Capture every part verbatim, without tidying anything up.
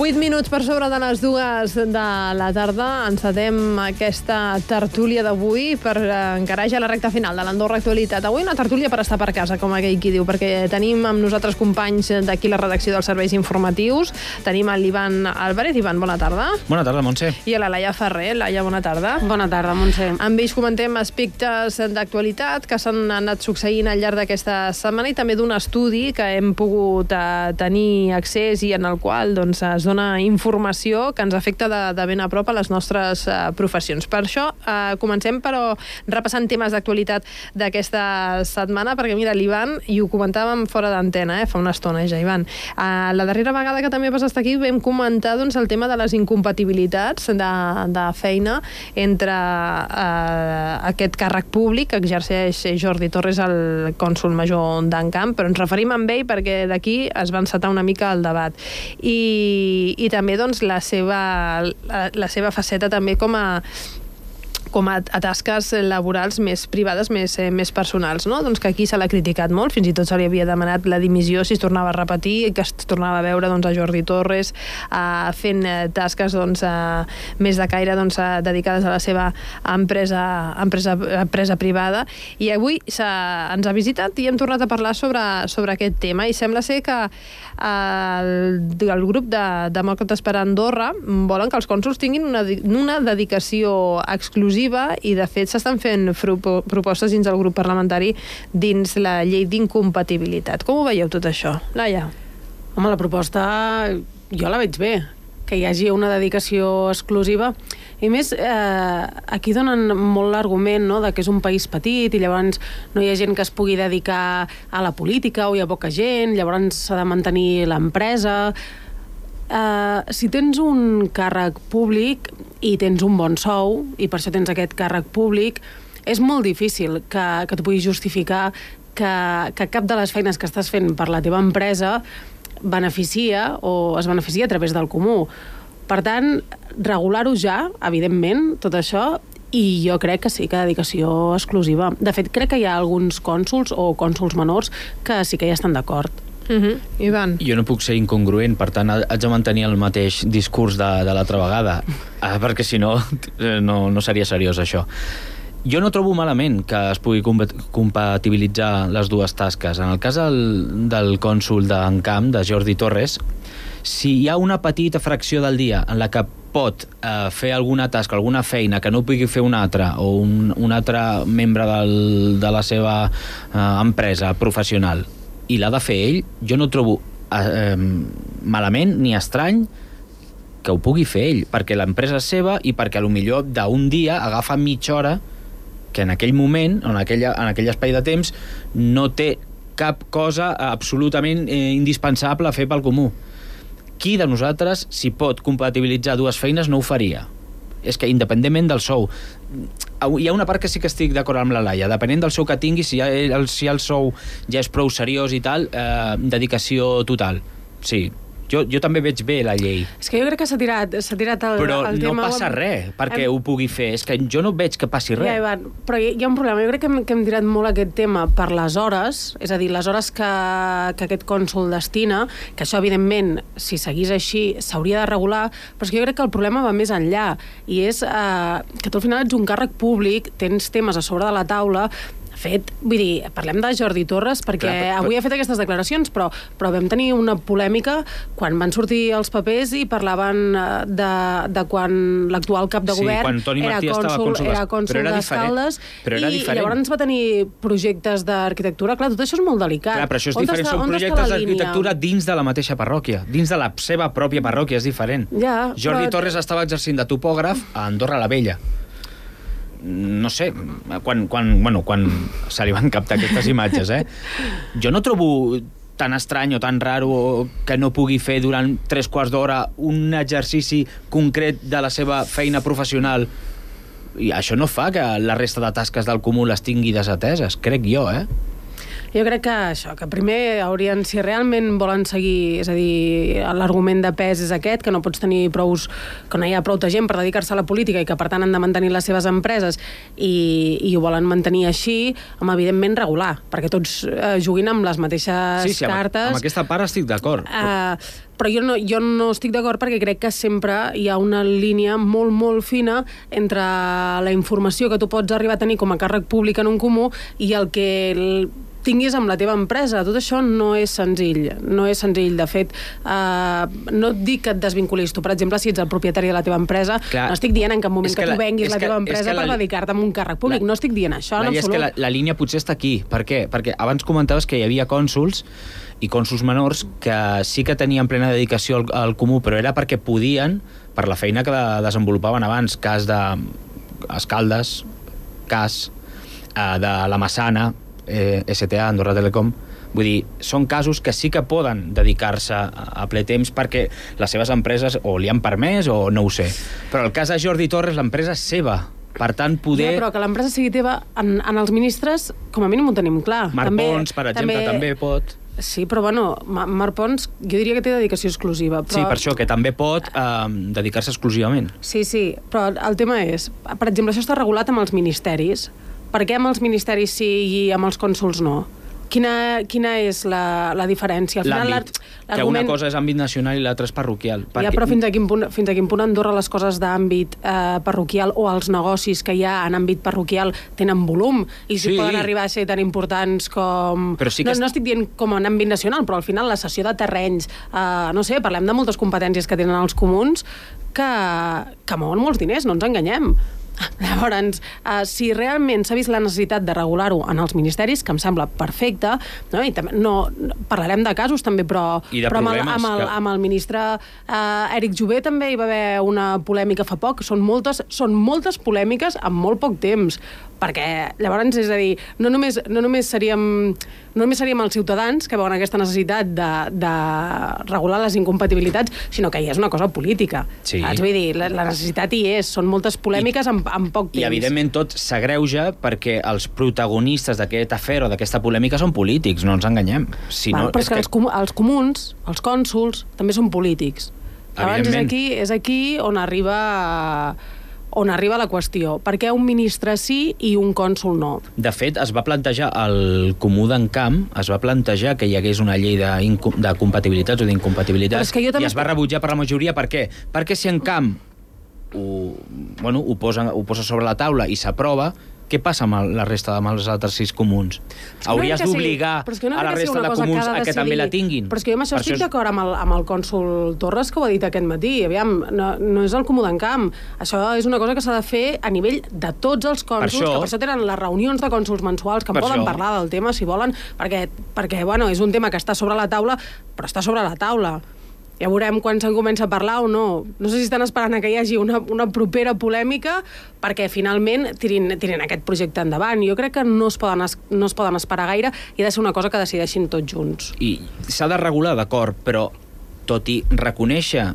Vuit minuts per sobre de les dues de la tarda. Encetem aquesta tertúlia d'avui per encarar ja la recta final de l'Andorra Actualitat. Avui una tertúlia per estar per casa, com aquell qui diu, perquè tenim amb nosaltres companys d'aquí la redacció dels serveis informatius. Tenim l'Ivan Álvarez. Ivan, bona tarda. Bona tarda, Montse. I a la Laia Ferrer. Laia, bona tarda. Bona tarda, Montse. Amb ells comentem aspectes d'actualitat que s'han anat succeint al llarg d'aquesta setmana i també d'un estudi que hem pogut eh, tenir accés i en el qual doncs, es dona informació que ens afecta de, de ben a prop a les nostres eh, professions. Per això eh, comencem, però, repassant temes d'actualitat d'aquesta setmana, perquè mira, l'Ivan, i ho comentàvem fora d'antena, eh, fa una estona ja, Ivan. Eh, la darrera vegada que també vas estar aquí vam comentar doncs, el tema de les incompatibilitats de, de feina entre eh, aquest càrrec públic que exerceix Jordi Torres, el cònsol major d'Encamp, però ens referim a ell perquè d'aquí es va encetar una mica el debat. I, i també doncs, la, seva, la, la seva faceta també com a com a, a tasques laborals més privades, més, eh, més personals, no? Doncs que aquí se l'ha criticat molt, fins i tot se li havia demanat la dimissió si es tornava a repetir, que es tornava a veure doncs, a Jordi Torres eh, fent eh, tasques doncs, eh, més de caire doncs, eh, dedicades a la seva empresa, empresa, empresa privada, i avui ens ha visitat i hem tornat a parlar sobre, sobre aquest tema, i sembla ser que eh, el, el grup de Demòcrates per Andorra volen que els cònsols tinguin una, una dedicació exclusiva, i de fet s'estan fent propostes dins del grup parlamentari dins la llei d'incompatibilitat. Com ho veieu tot això? Laia? Home, la proposta jo la veig bé, que hi hagi una dedicació exclusiva. I més, eh, aquí donen molt l'argument, no?, de que és un país petit i llavors no hi ha gent que es pugui dedicar a la política o hi ha poca gent, llavors s'ha de mantenir l'empresa. Uh, si tens un càrrec públic i tens un bon sou i per això tens aquest càrrec públic, és molt difícil que, que tu puguis justificar que, que cap de les feines que estàs fent per la teva empresa beneficia o es beneficia a través del comú. Per tant, regular-ho ja, evidentment, tot això, i jo crec que sí que dedicació exclusiva. De fet, crec que hi ha alguns cònsols o cònsols menors que sí que hi estan d'acord. Uh-huh. Ivan? Jo no puc ser incongruent, per tant haig de mantenir el mateix discurs de, de l'altra vegada, ah, perquè si no, no no seria seriós això. Jo no trobo malament que es pugui compatibilitzar les dues tasques. En el cas del, del cònsol d'Encamp, de Jordi Torres, si hi ha una petita fracció del dia en la que pot eh, fer alguna tasca, alguna feina que no pugui fer un altre o un, un altre membre del, de la seva eh, empresa professional i l'ha de fer ell, jo no trobo eh, malament ni estrany que ho pugui fer ell, perquè l'empresa és seva i perquè potser d'un dia agafa mitja hora que en aquell moment, en, aquella, en aquell espai de temps, no té cap cosa absolutament eh, indispensable a fer pel comú. Qui de nosaltres, si pot compatibilitzar dues feines, no ho faria? És que independentment del sou, hi ha una part que sí que estic d'acord amb la Laia, depenent del sou que tingui, si el, si el sou ja és prou seriós i tal, eh, dedicació total, sí. Jo, jo també veig bé la llei. És que jo crec que s'ha tirat, s'ha tirat el, però el tema... Però no passa res perquè hem... ho pugui fer. És que jo no veig que passi res. Ja, Ivan, però hi ha un problema. Jo crec que hem, que hem tirat molt aquest tema per les hores, és a dir, les hores que, que aquest cònsol destina, que això, evidentment, si seguís així, s'hauria de regular, però és que jo crec que el problema va més enllà, i és eh, que tu al final ets un càrrec públic, tens temes a sobre de la taula. De fet, vull dir, parlem de Jordi Torres perquè clar, però, avui ha fet aquestes declaracions, però, però vam tenir una polèmica quan van sortir els papers i parlaven de, de quan l'actual cap de sí, govern era cònsol, era cònsol d'Escaldes, i llavors va tenir projectes d'arquitectura. Clar, tot això és molt delicat. Clar, però això és on diferent, està, són projectes d'arquitectura dins de la mateixa parròquia, dins de la seva pròpia parròquia, és diferent. Ja, Jordi però... Torres estava exercint de topògraf a Andorra la Vella. No sé, quan, quan, bueno, quan se li van captar aquestes imatges, eh? Jo no trobo tan estrany o tan raro que no pugui fer durant tres quarts d'hora un exercici concret de la seva feina professional, i això no fa que la resta de tasques del comú les tingui desateses, crec jo, eh? Jo crec que això, que primer haurien, si realment volen seguir, és a dir, l'argument de pes és aquest, que no pots tenir prous, que no hi ha prou gent per dedicar-se a la política i que per tant han de mantenir les seves empreses i, i ho volen mantenir així, amb evidentment regular, perquè tots eh, juguin amb les mateixes sí, sí, cartes. Amb, amb aquesta part estic d'acord. Uh, però jo no, jo no estic d'acord perquè crec que sempre hi ha una línia molt, molt fina entre la informació que tu pots arribar a tenir com a càrrec públic en un comú i el que el tinguis amb la teva empresa. Tot això no és senzill. No és senzill. De fet, eh, no et dic que et desvinculis. Tu, per exemple, si ets el propietari de la teva empresa, Clar, no estic dient en cap moment que, que tu venguis la, la teva empresa per la, dedicar-te a un càrrec públic. La, no estic dient això, en absolut. És que la, la línia potser està aquí. Per què? Perquè abans comentaves que hi havia cònsols i cònsols menors que sí que tenien plena dedicació al, al comú, però era perquè podien, per la feina que desenvolupaven abans, cas de Escaldes, cas eh, de la Massana, eh, S T A, Andorra Telecom. Vull dir, són casos que sí que poden dedicar-se a, a ple temps perquè les seves empreses o li han permès o no ho sé. Però el cas de Jordi Torres, l'empresa és seva. Per tant, poder... Ja, però que l'empresa sigui teva, en, en els ministres, com a mínim ho tenim clar. Marc també, Pons, per exemple, també, també pot... Sí, però bueno, Marc Pons, jo diria que té dedicació exclusiva. Però... Sí, per això, que també pot eh, dedicar-se exclusivament. Sí, sí, però el tema és, per exemple, això està regulat amb els ministeris. Per què amb els ministeris sí i amb els cònsols no? Quina, quina és la, la diferència? Al final, l'àmbit, que una cosa és àmbit nacional i l'altra és parroquial. Ja, però fins a quin punt, fins a quin punt Andorra les coses d'àmbit eh, parroquial o els negocis que hi ha en àmbit parroquial tenen volum i si sí. poden arribar a ser tan importants com... Però sí que no, no estic dient com en àmbit nacional, però al final la cessió de terrenys, eh, no sé, parlem de moltes competències que tenen els comuns que, que mouen molts diners, no ens enganyem. Llavors, uh, si realment s'ha vist la necessitat de regular-ho en els ministeris, que em sembla perfecte, no? I també, no, parlarem de casos també, però, però amb, el, amb, el, amb el ministre uh, Eric Jové també hi va haver una polèmica fa poc. Són moltes, són moltes polèmiques en molt poc temps, perquè llavors, és a dir, no només, no només seríem... no només seríem els ciutadans que veuen aquesta necessitat de, de regular les incompatibilitats, sinó que hi és una cosa política. Sí. Saps? Vull dir, la, la necessitat hi és, són moltes polèmiques en, en poc temps. I, evidentment, tot s'agreuja perquè els protagonistes d'aquest afer o d'aquesta polèmica són polítics, no ens enganyem. Si Val, no, però és que, que els, com, els comuns, els cònsols, també són polítics. Llavors, és aquí, és aquí on arriba... on arriba la qüestió. Per què un ministre sí i un cònsol no? De fet, es va plantejar, el Comú d'Encamp, es va plantejar que hi hagués una llei de, de compatibilitats o d'incompatibilitats i es va rebutjar per la majoria. Per què? Perquè si Encamp ho, bueno, ho, posa, ho posa sobre la taula i s'aprova, què passa amb la resta amb els altres sis comuns? Hauries no d'obligar sí, no a la resta de comuns que a que també la tinguin. Però és que jo amb això per estic això és... d'acord amb, el, amb el cònsol Torres, que ho ha dit aquest matí. Aviam, no, no és el Comú d'Encamp. Això és una cosa que s'ha de fer a nivell de tots els cònsols, per això... que per això tenen les reunions de cònsols mensuals, que en poden això... parlar del tema, si volen, perquè, perquè bueno, és un tema que està sobre la taula, però està sobre la taula. Ja veurem quan se'n comença a parlar o no. No sé si estan esperant que hi hagi una, una propera polèmica perquè finalment tirin, tirin aquest projecte endavant. Jo crec que no es, poden es, no es poden esperar gaire i ha de ser una cosa que decideixin tots junts. I s'ha de regular, d'acord, però tot i reconèixer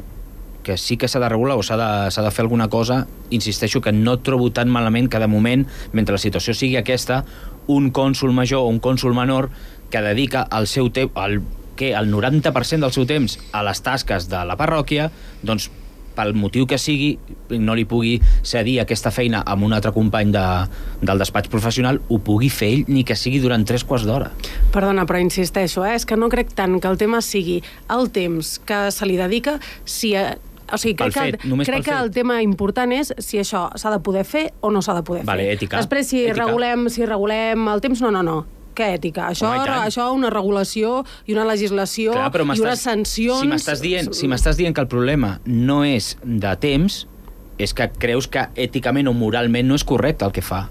que sí que s'ha de regular o s'ha de, s'ha de fer alguna cosa, insisteixo que no trobo tan malament que de moment, mentre la situació sigui aquesta, un cònsol major o un cònsol menor que dedica el seu temps, el que el noranta per cent del seu temps a les tasques de la parròquia, doncs pel motiu que sigui, no li pugui cedir aquesta feina amb un altre company de, del despatx professional, ho pugui fer ell, ni que sigui durant tres quarts d'hora. Perdona, però insisteixo, eh? És que no crec tant que el tema sigui el temps que se li dedica, si... O sigui, crec, fet, que, crec que el tema important és si això s'ha de poder fer o no s'ha de poder vale, fer. Ètica. Després, si ètica. regulem, si regulem el temps, no, no, no. Què ètica? Això, Home, això una regulació i una legislació Clar, i unes sancions... Si m'estàs dient, si m'estàs dient que el problema no és de temps, és que creus que èticament o moralment no és correcte el que fa.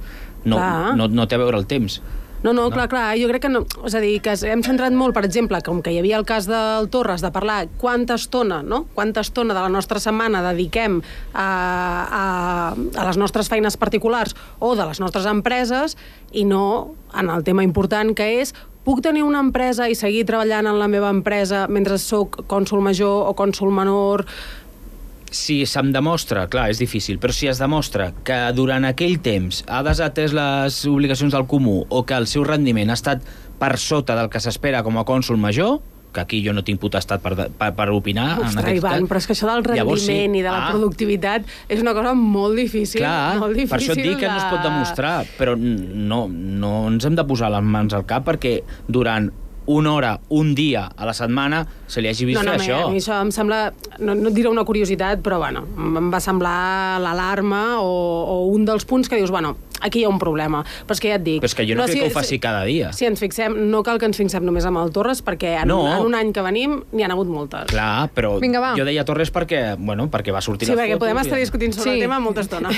No, no, no té a veure el temps. No, no, clar, clar, jo crec que no. És a dir, que hem centrat molt, per exemple, com que hi havia el cas del Torres, de parlar quanta estona, no? Quanta estona de la nostra setmana dediquem a, a, a les nostres feines particulars o de les nostres empreses i no en el tema important que és puc tenir una empresa i seguir treballant en la meva empresa mentre soc cònsol major o cònsol menor... si se'm demostra, clar, és difícil, però si es demostra que durant aquell temps ha desatès les obligacions del comú o que el seu rendiment ha estat per sota del que s'espera com a cònsol major, que aquí jo no tinc potestat per, per, per opinar. Ostres, en Ivan, cas. Però és que això del rendiment Llavors, sí. i de la ah. productivitat és una cosa molt difícil. Clar, molt difícil per això et dic de... que no es pot demostrar, però no, no ens hem de posar les mans al cap perquè durant una hora, un dia a la setmana se li hagi vist no, no, fer això. A mi això em sembla, no, no et diré una curiositat, però bueno, em va semblar l'alarma o, o un dels punts que dius, bueno, aquí hi ha un problema. Però és que ja et dic... Però és que jo no, no crec si, que ho faci si, cada dia. Si ens fixem, no cal que ens fixem només amb el Torres, perquè en, no. en un any que venim n'hi ha hagut moltes. Clar, però Vinga, jo deia Torres perquè, bueno, perquè va sortir sí, la foto. Sí, perquè podem estar discutint sobre sí. el tema molta estona.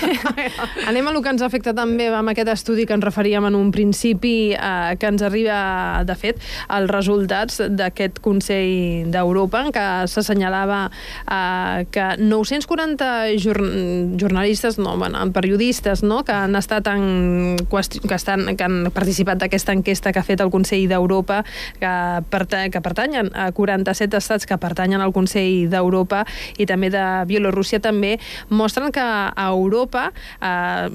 Anem a lo que ens afecta també amb aquest estudi que ens referíem en un principi, eh, que ens arriba, de fet, els resultats d'aquest Consell d'Europa, en què s'assenyalava eh, que nou-cents quaranta jorn jornalistes, no, bueno, periodistes, no, que han estat en que, estan, que han participat d'aquesta enquesta que ha fet el Consell d'Europa, que, perta que pertanyen a quaranta-set estats que pertanyen al Consell d'Europa i també de Bielorússia també, mostren que a Europa eh,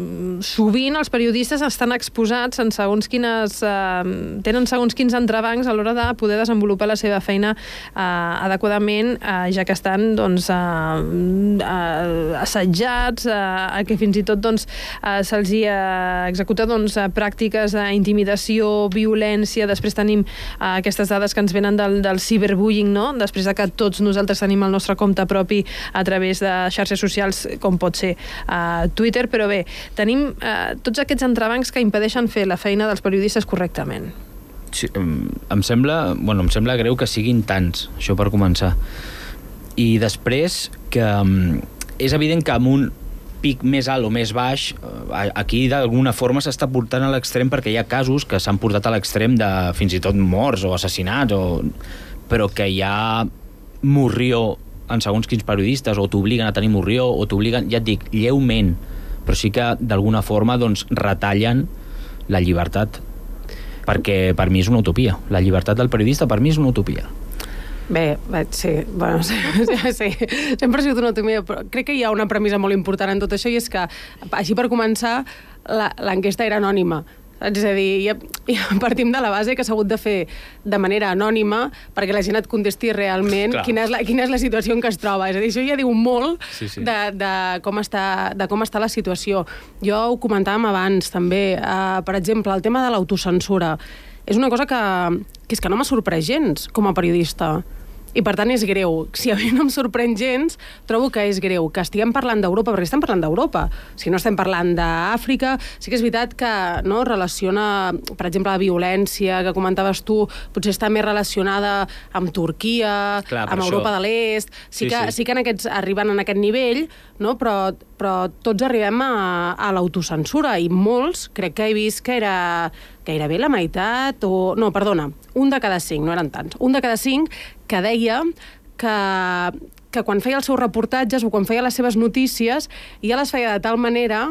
sovint els periodistes estan exposats en segons quines... Eh, tenen segons quins entrebancs a l'hora de poder desenvolupar la seva feina eh, adequadament, eh, ja que estan doncs, eh, eh, assetjats, eh, que fins i tot doncs, eh, se'ls hi ha executat doncs, pràctiques d'intimidació, violència. Després tenim eh, aquestes dades que ens venen del, del ciberbullying, no? Després de que tots nosaltres tenim el nostre compte propi a través de xarxes socials, com pot ser eh, Twitter, però bé, tenim eh, tots aquests entrebancs que impedeixen fer la feina dels periodistes correctament. Sí, em sembla, bueno, em sembla greu que siguin tants, això per començar. I després que um, és evident que amb un pic més alt o més baix, aquí d'alguna forma s'està portant a l'extrem perquè hi ha casos que s'han portat a l'extrem de fins i tot morts o assassinats, o... però que hi ha morrió en segons quins periodistes, o t'obliguen a tenir morrió, o t'obliguen, ja et dic, lleument, però sí que d'alguna forma doncs, retallen la llibertat, perquè per mi és una utopia. La llibertat del periodista per mi és una utopia. Bé, sí, bueno, sí, sí, sempre ha sigut una utopia, però crec que hi ha una premissa molt important en tot això, i és que, així per començar, l'enquesta era anònima. És a dir, ja, ja partim de la base que s'ha hagut de fer de manera anònima perquè la gent et contesti realment quina és, la, quina és la situació en què es troba. És a dir, això ja diu molt sí, sí. De, de, com està, de com està la situació. Jo ho comentàvem abans, també. Uh, per exemple, el tema de l'autocensura. És una cosa que, que és que no m'ha sorprès gens com a periodista. I per tant és greu. Si a mi no em sorprèn gens, trobo que és greu. Que estiguem parlant d'Europa, perquè estem parlant d'Europa. Si no estem parlant d'Àfrica, sí que és veritat que no, relaciona, per exemple, la violència que comentaves tu, potser està més relacionada amb Turquia, Clar, amb Europa això... de l'Est. Sí, sí, que, sí. sí que en aquests, arriben en aquest nivell, no? però, però tots arribem a, a l'autocensura, i molts, crec que he vist que era gairebé la meitat, o... no, perdona, un de cada cinc, no eren tants, un de cada cinc que deia que, que quan feia els seus reportatges o quan feia les seves notícies ja les feia de tal manera,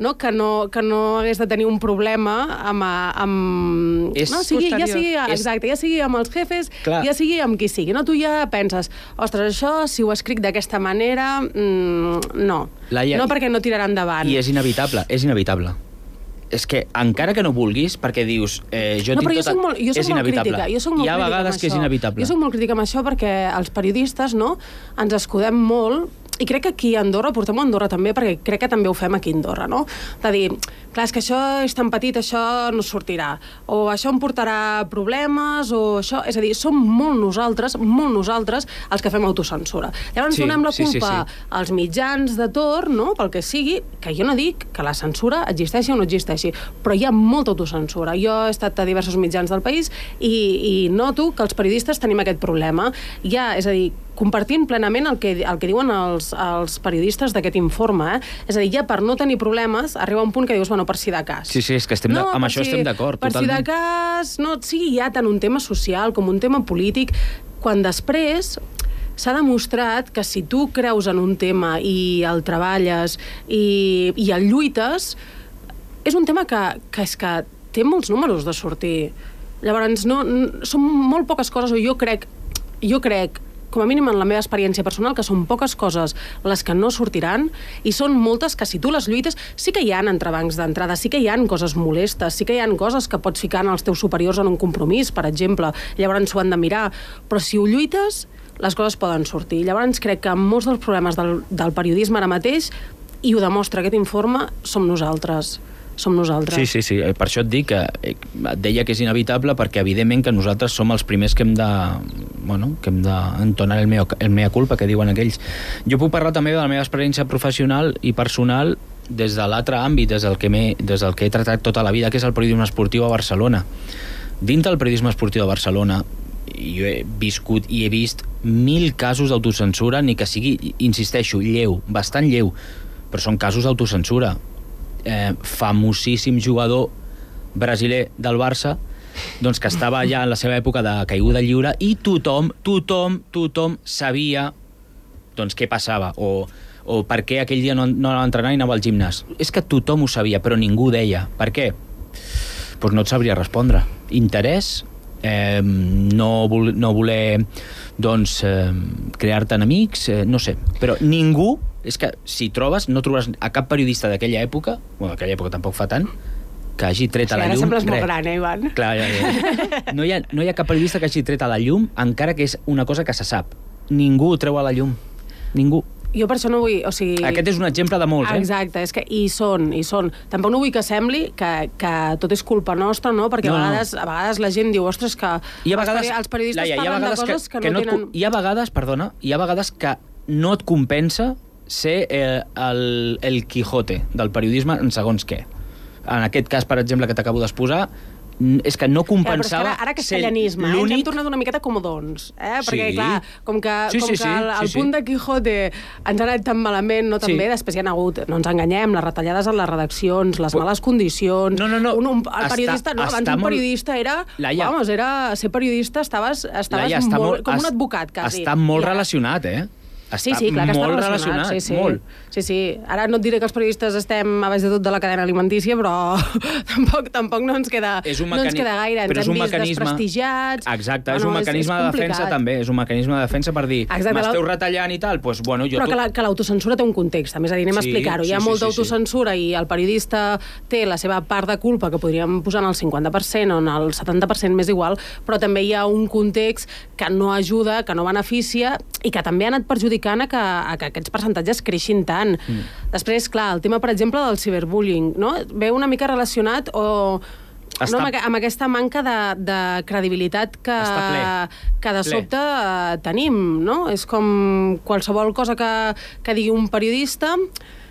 no, que, no, que no hagués de tenir un problema amb... amb és no, sigui, ja sigui, exacte, ja sigui amb els jefes, Clar. ja sigui amb qui sigui. No, tu ja penses, ostres, això, si ho escric d'aquesta manera, mmm, no. Laia, no perquè no tirarà endavant. I és inevitable, és inevitable. És que encara que no vulguis, perquè dius eh, jo no, tinc però jo tot... soc molt, jo soc és molt inevitable. Crítica. Jo soc molt Hi ha vegades que és inevitable. Jo soc molt crítica amb això perquè els periodistes, no, ens escudem molt, i crec que aquí a Andorra, portem a Andorra també, perquè crec que també ho fem aquí a Andorra, no? De dir, clar, és que això és tan petit, això no sortirà, o això em portarà problemes, o això... És a dir, som molt nosaltres, molt nosaltres, els que fem autocensura. Llavors sí, donem la culpa sí, sí, sí. als mitjans de torn, no?, pel que sigui, que jo no dic que la censura existeixi o no existeixi, però hi ha molta autocensura. Jo he estat a diversos mitjans del país i, i noto que els periodistes tenim aquest problema. Ja, és a dir, compartint plenament el que, el que diuen els, els periodistes d'aquest informe, eh? És a dir, ja per no tenir problemes, arriba un punt que dius, bueno, per si de cas. Sí, sí, és que estem no, de, amb això si, estem d'acord, per totalment. Per si de cas, no sigui ja tant un tema social com un tema polític, quan després s'ha demostrat que si tu creus en un tema i el treballes i, i el lluites, és un tema que, que és que té molts números de sortir. Llavors, no, no, són molt poques coses, o jo crec, jo crec com a mínim en la meva experiència personal, que són poques coses les que no sortiran, i són moltes que si tu les lluites, sí que hi ha entrebancs d'entrada, sí que hi ha coses molestes, sí que hi ha coses que pots ficar en els teus superiors en un compromís, per exemple, llavors s'ho han de mirar, però si ho lluites, les coses poden sortir. Llavors crec que molts dels problemes del, del periodisme ara mateix, i ho demostra aquest informe, som nosaltres. Som nosaltres. Sí, sí, sí. Per això et dic que et deia que és inevitable perquè evidentment que nosaltres som els primers que hem de, bueno, que hem d'entonar el, mea, el mea culpa, que diuen aquells. Jo puc parlar també de la meva experiència professional i personal des de l'altre àmbit, des del, que des del que he tratat tota la vida, que és el periodisme esportiu a Barcelona. Dins del periodisme esportiu a Barcelona jo he viscut i he vist mil casos d'autocensura, ni que sigui, insisteixo, lleu, bastant lleu, però són casos d'autocensura. Eh, famosíssim jugador brasiler del Barça, doncs que estava ja en la seva època de caiguda lliure i tothom, tothom, tothom sabia doncs què passava o, o per què aquell dia no, no anava a entrenar i anava al gimnàs. És que tothom ho sabia, però ningú deia. Per què? Doncs no et sabria respondre. Interès, eh, no, vol, no voler doncs, eh, crear-te enemics, eh, no sé, però ningú. És que si trobes, no trobes a cap periodista d'aquella època, bueno, d'aquella època tampoc fa tant, que hagi tret sí, a la llum... Ara sembles molt gran, eh, Ivan? Clar, ja, ja. No, hi ha, no hi ha cap periodista que hagi tret a la llum, encara que és una cosa que se sap. Ningú ho treu a la llum. Ningú. Jo per això no vull... O sigui... Aquest és un exemple de molts, eh? Exacte, és que hi són, hi són. Tampoc no vull que sembli que, que tot és culpa nostra, no? Perquè no, a, vegades, no. a vegades la gent diu, ostres, que I a vegades, els periodistes Laia, parlen de coses que, que, que no, no tenen... Et, hi ha vegades, perdona, hi ha vegades que no et compensa ser eh, el, el Quijote del periodisme en segons què. En aquest cas, per exemple, que t'acabo d'exposar, és que no compensava... Ja, ara, ara castellanisme, eh? Ens hem tornat una miqueta comodons, eh? Perquè, sí. clar, com que, sí, com sí, que el, el sí, punt sí. de Quijote ens ha anat tan malament, no tan sí. bé, després hi ha hagut, no ens enganyem, les retallades en les redaccions, les males condicions... No, no, no. Un, un, el periodista, està, no, abans un periodista molt... era... Laia, vamos, era... Ser periodista estaves, estaves Laia, molt, molt, com es, un advocat, quasi. Està molt ja. relacionat, eh? Està sí, sí, clar que està molt relacionat, relacionat, sí, sí. molt. Sí, sí. Ara no et diré que els periodistes estem a baix de tot de la cadena alimentícia, però tampoc, tampoc no ens queda, és un no ens queda gaire. Ens hem vist mecanisme... desprestigiats... Exacte, bueno, és un mecanisme és, és de defensa també, és un mecanisme de defensa per dir, m'esteu retallant i tal, doncs, bueno, jo... Però tu... que, la, que l'autocensura té un context, a més a dir, anem sí, a explicar-ho. Hi ha sí, molta sí, autocensura sí. i el periodista té la seva part de culpa, que podríem posar en el cinquanta per cent o en el setanta per cent més igual, però també hi ha un context que no ajuda, que no beneficia i que també ha anat perjudicant a que, a que aquests percentatges creixin tant. Mm. Després, clar, el tema, per exemple, del ciberbullying, no? Ve una mica relacionat o... Està... No, amb aquesta manca de, de credibilitat que, que de sobte ple. tenim, no? És com qualsevol cosa que, que digui un periodista,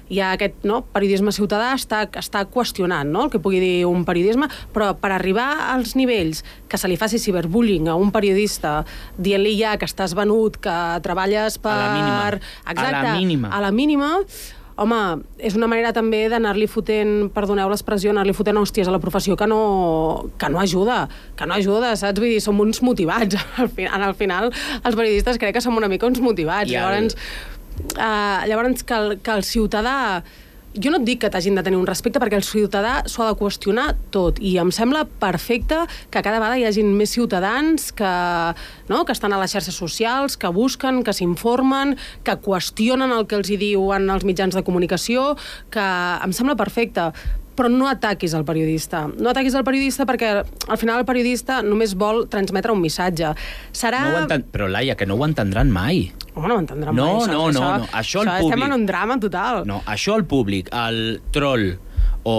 hi ha aquest no, periodisme ciutadà està, està qüestionant no, el que pugui dir un periodisme, però per arribar als nivells que se li faci ciberbullying a un periodista dient-li ja que estàs venut, que treballes per... A la mínima. Exacte, a la mínima. A la mínima, home, és una manera també d'anar-li fotent, perdoneu l'expressió, anar-li fotent hòsties a la professió que no, que no ajuda, que no ajuda, saps? Vull dir, som uns motivats. Al final, al final els periodistes crec que som una mica uns motivats. I llavors... El... Uh, llavors que el, que el ciutadà, jo no et dic que t'hagin de tenir un respecte perquè el ciutadà s'ho ha de qüestionar tot i em sembla perfecte que cada vegada hi hagin més ciutadans que, no, que estan a les xarxes socials, que busquen, que s'informen, que qüestionen el que els hi diuen els mitjans de comunicació, que em sembla perfecte, però no ataquis el periodista. No ataquis el periodista perquè al final el periodista només vol transmetre un missatge. Serà... No ho enten... Però, Laia, que no ho entendran mai. Home, no ho entendran no, mai. No, això, no, això, no. Això el això públic... Estem en un drama total. No, això el públic, el troll o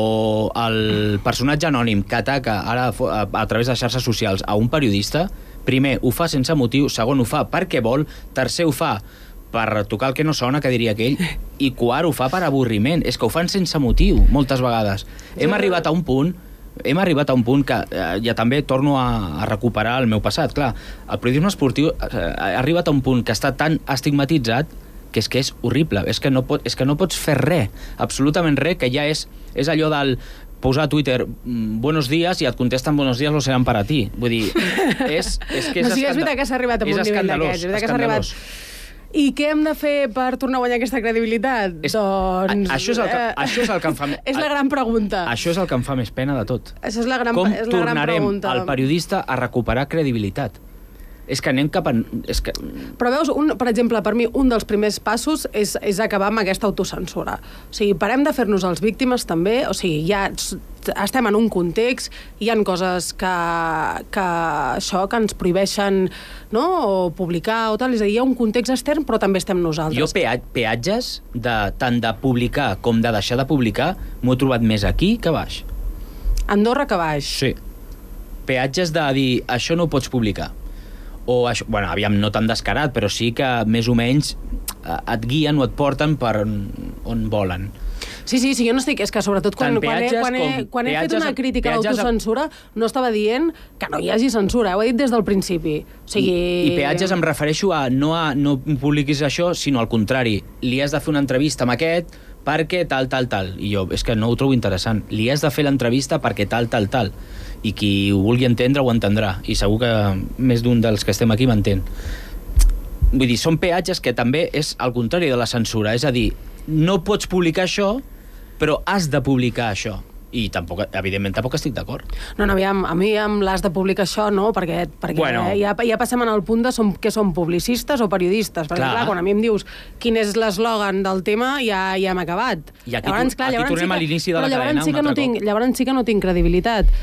el personatge anònim que ataca ara a, a través de xarxes socials a un periodista, primer, ho fa sense motiu, segon, ho fa perquè vol, tercer, ho fa per tocar el que no sona, que diria aquell, i quart, ho fa per avorriment. És que ho fan sense motiu, moltes vegades. Hem arribat a un punt hem arribat a un punt que eh, ja també torno a, a recuperar el meu passat. Clar, el periodisme esportiu eh, ha arribat a un punt que està tan estigmatitzat que és que és horrible, és que no, pot, és que no pots fer res, absolutament res, que ja és, és allò del posar a Twitter buenos días i et contesten buenos días lo seran para ti. Vull dir, és, és que és, no, sí, escandalós. És veritat que s'ha arribat a un nivell d'aquests. És veritat que s'ha arribat... I què hem de fer per tornar a guanyar aquesta credibilitat? És, doncs... A, això, és el que, eh, això és el que em fa... És la gran pregunta. Això és el que em fa més pena de tot. Això és la gran, Com és la gran pregunta. tornarem al periodista a recuperar credibilitat? És que anem cap a... És que... Però veus, un, per exemple, per mi, un dels primers passos és, és acabar amb aquesta autocensura. O sigui, parem de fer-nos els víctimes també, o sigui, ja estem en un context, hi ha coses que, que això, que ens prohibeixen, no?, o publicar o tal, és a dir, hi ha un context extern, però també estem nosaltres. Jo pea peatges, de, tant de publicar com de deixar de publicar, m'ho he trobat més aquí que baix. Andorra que baix. Sí. Peatges de dir, això no ho pots publicar. O això, bueno, aviam, no tan descarat, però sí que més o menys et guien o et porten per on, on volen. Sí, sí, sí, jo no estic... És que sobretot quan, quan, he, quan, he, quan he fet una crítica a l'autocensura no estava dient que no hi hagi censura, ho he dit des del principi. O sigui... I, i peatges em refereixo a no, a no publiquis això, sinó al contrari. Li has de fer una entrevista amb aquest perquè tal, tal, tal. I jo, és que no ho trobo interessant. Li has de fer l'entrevista perquè tal, tal, tal. I qui ho vulgui entendre ho entendrà. I segur que més d'un dels que estem aquí m'entén. Vull dir, són peatges que també és al contrari de la censura. És a dir, no pots publicar això, però has de publicar això. I tampoc, evidentment, tampoc estic d'acord. No, no, aviam, a mi amb l'has de publicar això, no, perquè, perquè bueno. ja, ja passem en el punt de som, que som publicistes o periodistes. Perquè, clar, clar quan a mi em dius quin és l'eslògan del tema, ja, ja hem acabat. I aquí, llavors, clar, aquí tornem sí que, a l'inici de la cadena sí un altre no tinc, cop. Llavors sí que no tinc credibilitat.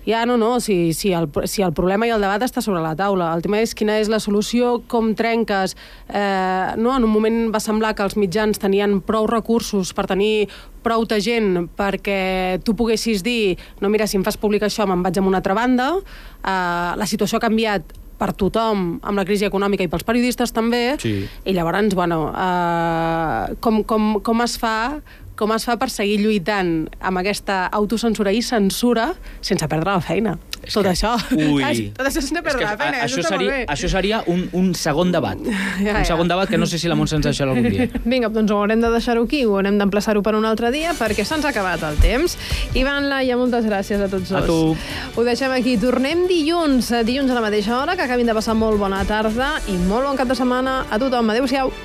Ja, no, no, si, si, el, si el problema i el debat està sobre la taula. El tema és quina és la solució, com trenques. Eh, no? En un moment va semblar que els mitjans tenien prou recursos per tenir prou de gent perquè tu poguessis dir no, mira, si em fas publicar això me'n vaig a una altra banda. Eh, la situació ha canviat per tothom, amb la crisi econòmica i pels periodistes també, sí. I llavors, bueno, eh, com, com, com es fa... com es fa per seguir lluitant amb aquesta autocensura i censura sense perdre la feina. És tot que... això. Ui. Tot això sense perdre la feina. Això seria, això seria un, un segon debat. Ja, un segon ja. debat que no sé si la Montse ens deixarà algun dia. Vinga, doncs ho haurem de deixar-ho aquí, ho haurem d'emplaçar-ho per un altre dia perquè se'ns ha acabat el temps. Ivan, Laia, moltes gràcies a tots dos. A tu. Ho deixem aquí. Tornem dilluns, dilluns a la mateixa hora, que acabin de passar molt bona tarda i molt bon cap de setmana a tothom. Adéu-siau.